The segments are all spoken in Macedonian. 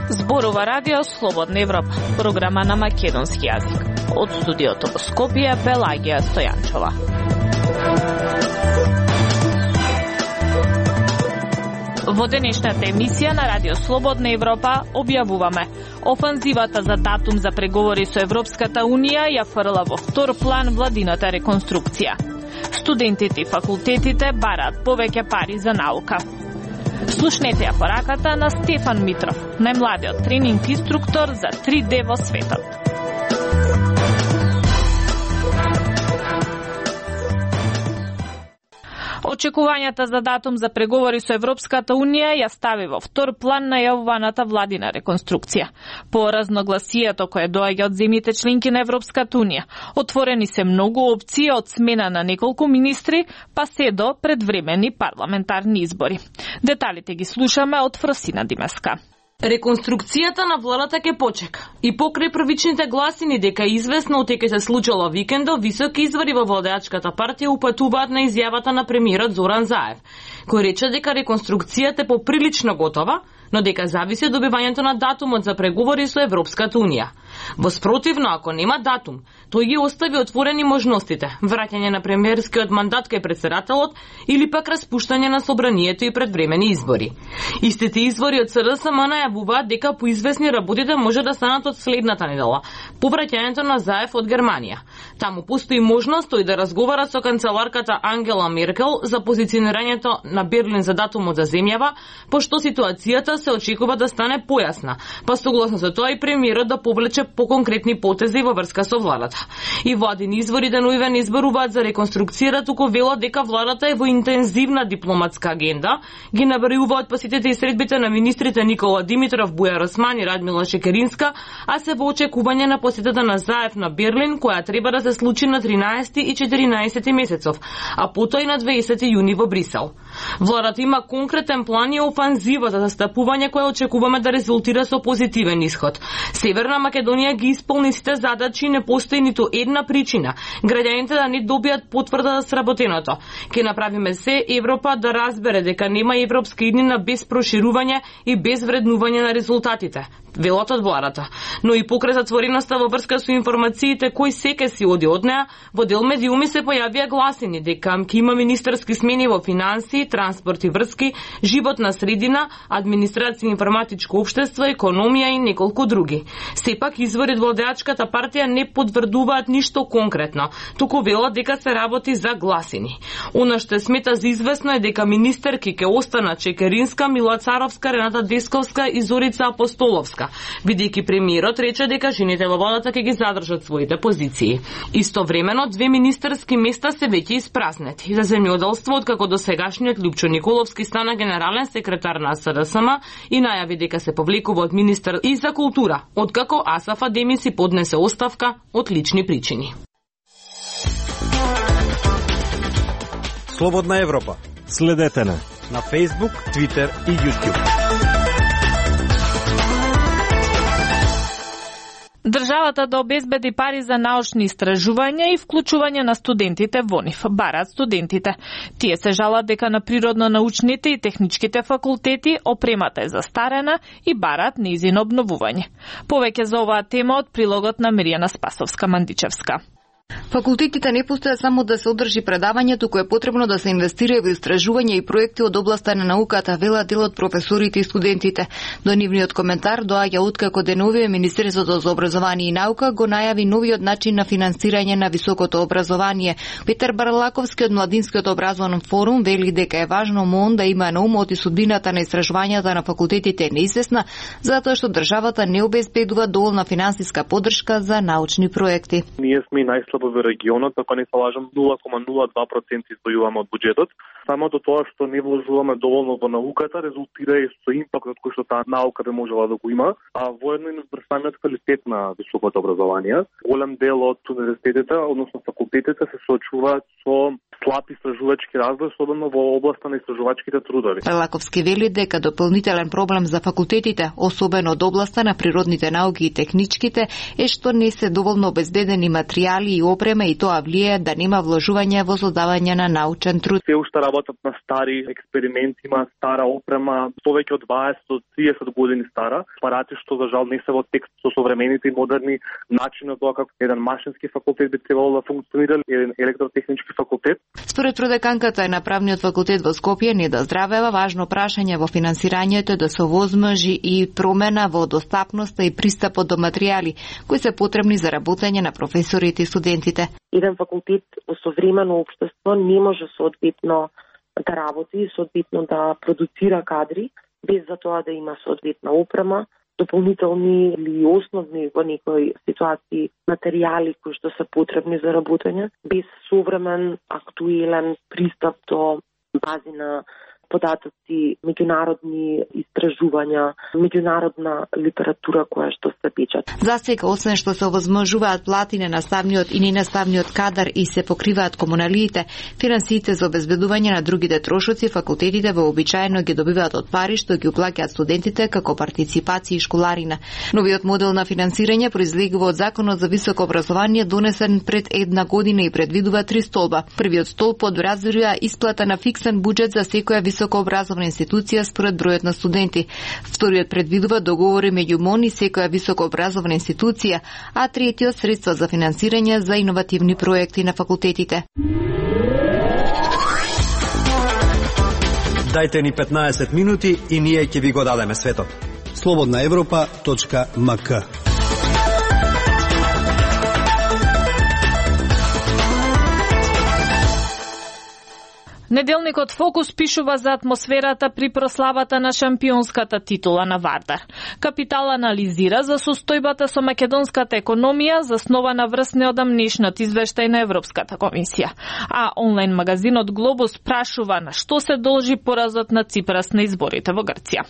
Зборува Радио Слободна Европа, програма на македонски јазик. Од студиото во Скопје, Пелагија Стојанчова. Во денешната емисија на Радио Слободна Европа објавуваме: офанзивата за датум за преговори со Европската Унија ја фрла во втор план владината реконструкција. Студентите и факултетите бараат повеќе пари за наука. Слушнете ја пораката на Стефан Митров, најмладиот тренинг инструктор за 3D во светот. Очекувањата за датум за преговори со Европската Унија ја стави во втор план најавуваната владина реконструкција. По разногласието кое доаѓа од земјите членки на Европската Унија, отворени се многу опции од смена на неколку министри, па се до предвремени парламентарни избори. Деталите ги слушаме од Фросина Димеска. Реконструкцијата на владата ќе почека. И покрај првичните гласини дека известно дека се случило викендо, високи извори во владеачката партија упатуваат на изјавата на премиерот Зоран Заев, кој рече дека реконструкцијата е поприлично готова, но дека зависи од добивањето на датумот за преговори со Европската Унија. Воспротивно, ако нема датум, тој ги остави отворени можностите: враќање на премиерскиот мандат кај председателот или пак распуштање на собранието и предвремени избори. Истите извори од СДСМ најавуваат дека по известни работите може да станат од следната недела, по враќањето на Заев од Германија. Таму постои можност тој да разговара со канцеларката Ангела Меркел за позиционирањето на Берлин за датумот за земјава, пошто ситуацијата се очекува да стане појасна, па согласно со тоа и премиерот да повлече по конкретни потези во врска со владата. И владини извори деновиве не изборуваат за реконструкција, туку велат дека владата е во интензивна дипломатска агенда, ги набројуваат посетите и средбите на министрите Никола Димитров, Бујар Осман и Радмила Шекеринска, а се во очекување на посетата на Заев на Берлин, која треба да се случи на 13 и 14 месецов, а потоа и на 20 јуни во Брисел. Владата има конкретен план и офанзива за застапување која очекуваме да резултира со позитивен исход. Северна Македонија ги исполни сите задачи и не постои ниту една причина граѓаните да не добијат потврда за сработеното. Ке направиме се Европа да разбере дека нема европска иднина без проширување и без вреднување на резултатите, велат од владата. Но и покрај затвореноста во врска со информациите кој секе си оди од неа, во дел медиуми се појавија гласини дека ќе има министерски смени во финансии, транспорт и врски, животна средина, администрација, информатичко општество, економија и неколку други. Сепак извори од владеачката партија не потврдуваат ништо конкретно, туку велат дека се работи за гласини. Она што смета за известно е дека министерки ќе останат Чекеринска, Мила Царовска, Рената Десковска и Зорица Апостоловска, бидејќи премиерот рече дека жените во владата ќе ги задржат своите позиции. Истовремено, 2 министерски места се веќе испразнети. За земјоделство, откако до сегашниот Лјупчо Николовски стана генерален секретар на СДСМ и најави дека се повлекува од министер и за култура, откако Асаф Адеми си поднесе оставка од лични причини. Слободна Европа. Следете на Facebook, Twitter и YouTube. Државата да обезбеди пари за научни истражувања и вклучување на студентите во нив, бараат студентите. Тие се жалат дека на природно-научните и техничките факултети опремата е застарена и бараат нејзино обновување. Повеќе за оваа тема од прилогот на Миријана Спасовска-Мандичевска. Факултетите не постојат само да се одржи предавање, туку е потребно да се инвестира во истражување и проекти од областа на науката, велат дел од професорите и студентите. До нивниот коментар доаѓа откако деновиве Министерството за образование и наука го најави новиот начин на финансирање на високото образование. Петар Барлаковски од Младинскиот образовен форум вели дека е важно МОН да има на умот и судбината на истражувањата на факултетите е неизвестна, затоа што државата не обезбедува доволна финансиска поддршка за научни проекти. Ние сме најслабо во регионот, ако не се лажам, 0,02% издвојуваме од буџетот. Самото тоа што не вложуваме доволно во науката резултира и со импактот кој што таа наука би можела да го има, а воедно и врз самиот квалитет на високото образование. Голем дел од универзитетите, односно факултетите, се соочуваат со слаб истражувачки развој, особено во областа на истражувачките трудови. Лаковски вели дека дополнителен проблем за факултетите, особено од областа на природните науки и техничките, е што не се доволно обезбедени материјали и опрема и тоа влијае да нема вложување во создавање на научен труд. Се уште работат на стари експерименти, има стара опрема, повеќе од 20 до 30 години стара, апарати што за жал не се во текст со современите и модерни начини тоа како еден машински факултет би требало да функционира, еден електротехнички факултет. Според продеканката на правниот факултет во Скопје не да здравева важно прашање во финансирањето да се овозможи и промена во достапноста и пристапот до материјали кои се потребни за работење на професорите и студентите. Еден факултет во современо општество не може соодветно да работи, соодветно да продуцира кадри, без за тоа да има соодветна опрема, дополнителни или основни во некои ситуации материјали кои што се потребни за работење, без современ, актуелен пристап до бази на податоци, меѓународни истражувања, меѓународна литература која што се печат. За сега, освен што се овозможуваат плати на наставниот и ненаставниот кадар и се покриваат комуналиите, финансиите за обезбедување на другите трошоци, факултетите вообичаено ги добиваат од пари што ги уплаќаат студентите како партиципација и школарина. Новиот модел на финансирање произлегува од Законот за високо образование донесен пред една година и предвидува 3 столба. Првиот столб одразува исплата на фиксен буџет за секоја високообразовна институција според бројот на студенти. Вториот предвидува договори меѓу МОН и секоја високообразовна институција, а третиот средства за финансирање за иновативни проекти на факултетите. Дајте ни 15 минути и ние ќе ви го дадеме светот. slobodnaevropa.mk. Неделникот Фокус пишува за атмосферата при прославата на шампионската титула на Вардар. Капитал анализира за состојбата со македонската економија, заснована врз неодамнешниот извештај на Европската комисија. А онлайн магазинот Глобус прашува на што се должи поразот на Ципрас на изборите во Грција.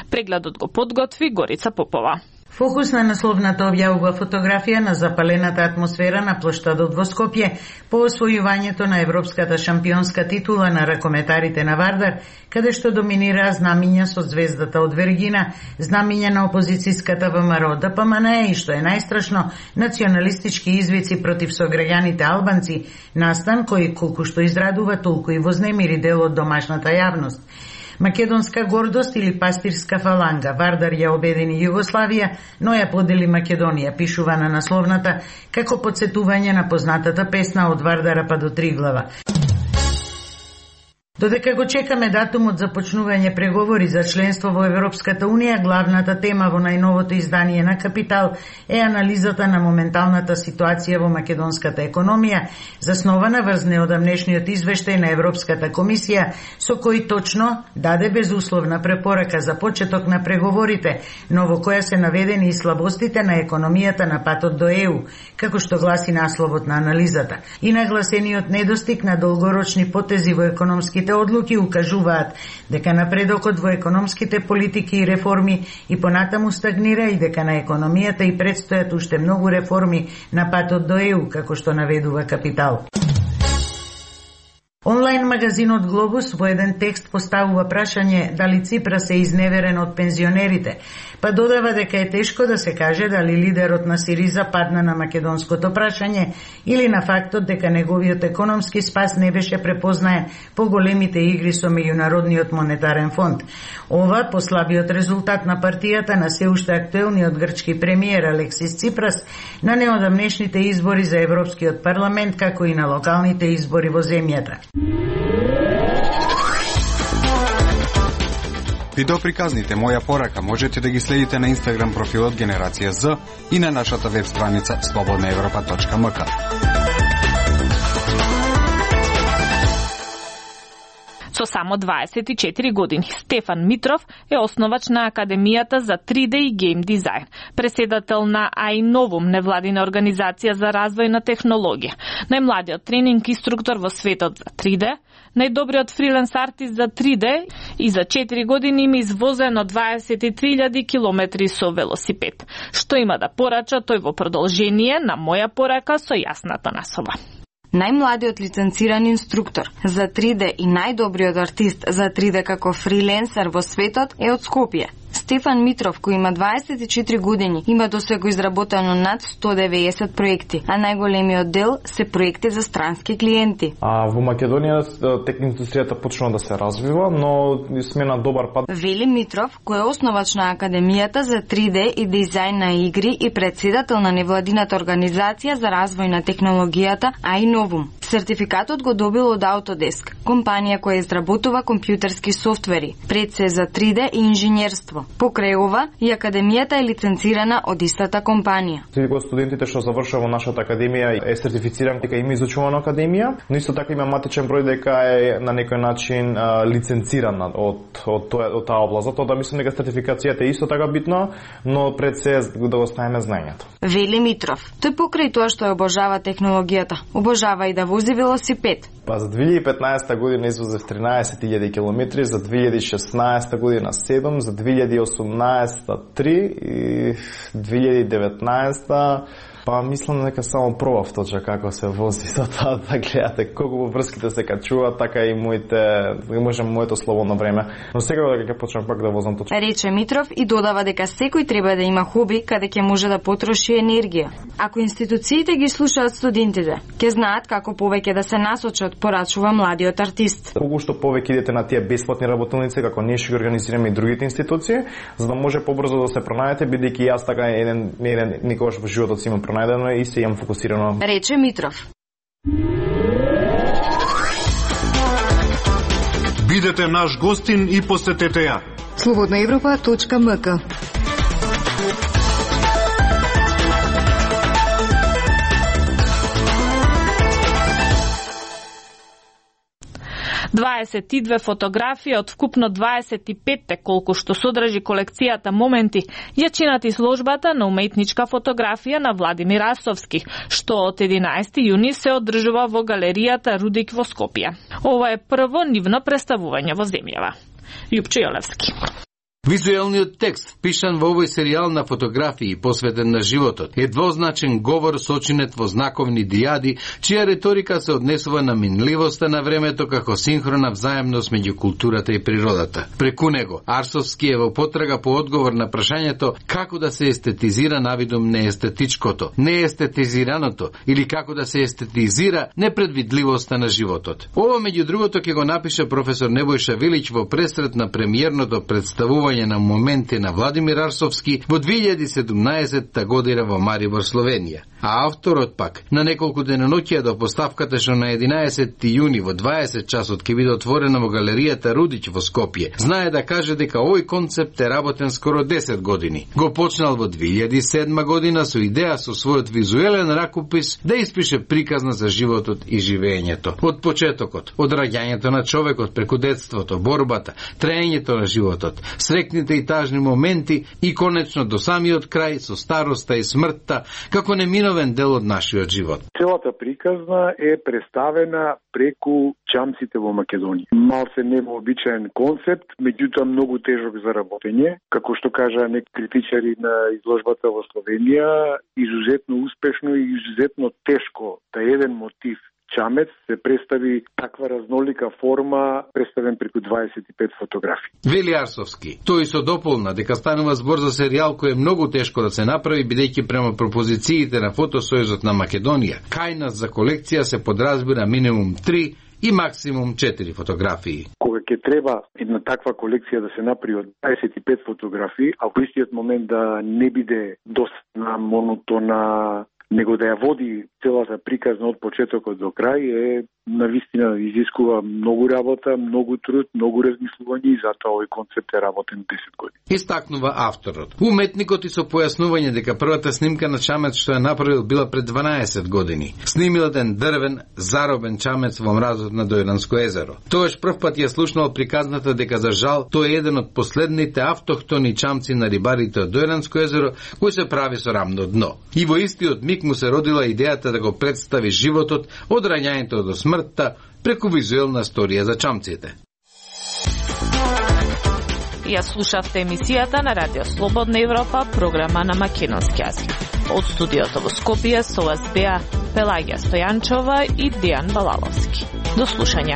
Прегледот го подготви Горица Попова. Фокус на насловната објавува фотографија на запалената атмосфера на плоштадот во Скопје по освојувањето на европската шампионска титула на ракометарите на Вардар, каде што доминираа знамиња со звездата од Вергина, знамиња на опозицијската ВМРО ДПМН и што е најстрашно, националистички извици против сограѓаните албанци, настан кој колку што израдува толку и вознемири дел од домашната јавност. Македонска гордост или пастирска фаланга, Вардар ја обедини Југославија, но ја подели Македонија, пишува на насловната, како подсетување на познатата песна од Вардара па до Триглава. Додека го чекаме датумот за почнување преговори за членство во Европската Унија, главната тема во најновото издание на Капитал е анализата на моменталната ситуација во македонската економија, заснована врз неодамнешниот извештај на Европската комисија, со кој точно даде безусловна препорака за почеток на преговорите, но во која се наведени и слабостите на економијата на патот до ЕУ, како што гласи насловот на анализата. И нагласениот недостиг на долгорочни потези во економските одлуки укажуваат дека напредокот во економските политики и реформи и понатаму стагнира и дека на економијата и предстојат уште многу реформи на патот до ЕУ, како што наведува Капитал. Онлайн магазинот Глобус во еден текст поставува прашање дали Ципрас е изневерен од пензионерите, па додава дека е тешко да се каже дали лидерот на Сириза падна на македонското прашање или на фактот дека неговиот економски спас не беше препознаен по големите игри со Меѓународниот монетарен фонд. Ова по слабиот резултат на партијата на се уште актуелниот грчки премиер Алексис Ципрас на неодамнешните избори за Европскиот парламент, како и на локалните избори во земјата. Видеоприказните Моја порака можете да ги следите на Инстаграм профилот Генерација З и на нашата веб страница slobodnaevropa.mk. Со само 24 години, Стефан Митров е основач на Академијата за 3D и гейм дизајн, преседател на iNovum, невладина организација за развој на технологија, најмладиот тренинг инструктор во светот за 3D, најдобриот фриленс артист за 3D и за 4 години има извозено 23.000 километри со велосипед, што има да порача тој во продолжение на Моја порака со јасната наслова. Најмладиот лиценциран инструктор за 3D и најдобриот артист за 3D како фриленсер во светот е од Скопје. Стефан Митров, кој има 24 години, има досега изработено над 190 проекти, а најголемиот дел се проекти за странски клиенти. Во Македонија тек индустријата почнува да се развива, но сме на добар пат. Вели Митров, кој е основач на Академијата за 3D и дизајн на игри и председател на невладината организација за развој на технологијата iNovum. Сертификатот го добил од Autodesk, компанија која изработува компјутерски софтвери, пред се за 3D и инженерство. Покрај ова, и Академијата е лиценцирана од истата компанија. Секој од студентите што завршува во нашата академија е сертифициран дека има изучувано академија, но исто така има матичен број дека е на некој начин лиценциран од таа област. Затоа да мислам дека сертификацијата е исто така битна, но пред се да го ставиме знаењето. Вели Митров, тој покрај тоа што обожава технологијата, обожава и да вози велосипед. За 2015 година извозев 13.000 километри, за 2016 година 7, за 2018 3 и 2019 па мислам дека само пробав точно како се вози, затоа да гледате колку врските се качуваат, така и моето слободно време. Но секако дека ќе почнам пак да возам точно. Рече Митров и додава дека секој треба да има хоби каде ќе може да потроши енергија. Ако институциите ги слушаат студентите, ќе знаат како повеќе да се насочат, порачува младиот артист. Колку што повеќе идете на тие бесплатни работилници, како ние ќе ги организираме и другите институции, за да може побрзо да се пронајдете, бидејќи јас така еден никогаш во животот си имам пронајдено и се имам фокусирано. Рече Митров. Бидете наш гостин и посетете ја. Slobodnaevropa.mk 22 фотографии од вкупно 25 колку што содржи колекцијата моменти, ја чинат изложбата на уметничка фотографија на Владимир Арсовски, што од 11 јуни се одржува во галеријата Рудик во Скопје. Ова е прво нивно представување во земјава. Јупчо Јолевски. Визуелниот текст, впишан во овој серијал на фотографии посветен на животот, е двозначен говор сочинет во знаковни дијади, чија риторика се однесува на минливоста на времето како синхрона взаемност меѓу културата и природата. Преку него, Арсовски е во потрага по одговор на прашањето како да се естетизира навидум неестетичкото, неестетизираното или како да се естетизира непредвидливоста на животот. Ова меѓу другото ќе го напише професор Небојша Вилич во пресрет на премиерното представување на моменти на Владимир Арсовски во 2017 година во Марибор, Словенија. А авторот пак, на неколку деноноќија до поставката што на 11 јуни во 20 часот ќе биде отворена во галеријата Рудич во Скопје, знае да каже дека овој концепт е работен скоро 10 години. Го почнал во 2007 година со идеја со својот визуелен ракопис да испише приказна за животот и живеењето. Од почетокот, од раѓањето на човекот преку детството, борбата, траењето на животот, срекните и тажни моменти и конечно до самиот крај со староста и смртта како неминовен дел од нашиот живот. Целата приказна е представена преку чамците во Македонија. Малце невообичаен концепт, меѓутоа многу тежок за работење. Како што кажа некои критичари на изложбата во Словенија, изузетно успешно и изузетно тешко да еден мотив чамец се представи таква разнолика форма, представен преку 25 фотографии. Вели Арсовски. Тој со дополна дека станува збор за серијал кој е многу тешко да се направи, бидејќи према пропозициите на Фотосојузот на Македонија, кај нас за колекција се подразбира минимум 3 и максимум 4 фотографии. Кога ќе треба една таква колекција да се направи од 25 фотографии, а во истиот момент да не биде доста монотона, него да ја води целата приказна од почетокот до крај, е навистина изискува многу работа, многу труд, многу размислување и затоа овој концепт е работен 10 години. Истакнува авторот. Уметникот и со појаснување дека првата снимка на чамец што ја направил била пред 12 години. Снимил еден дрвен, заробен чамец во мразот на Дојранско езеро. Тоаш првпат ја слушнал приказната дека за жал тој е еден од последните автохтони чамци на рибарите од Дојранско езеро кој се прави со рамно дно. И во истиот миг му се родила идејата да го представи животот од раѓањето до смртта преку визуелна сторија за чамците. Ја слушавте емисијата на Радио Слободна Европа, програма на македонски јазик. Од студиото во Скопје со вас беа Пелагија Стојанчова и Дејан Балаловски. До слушање.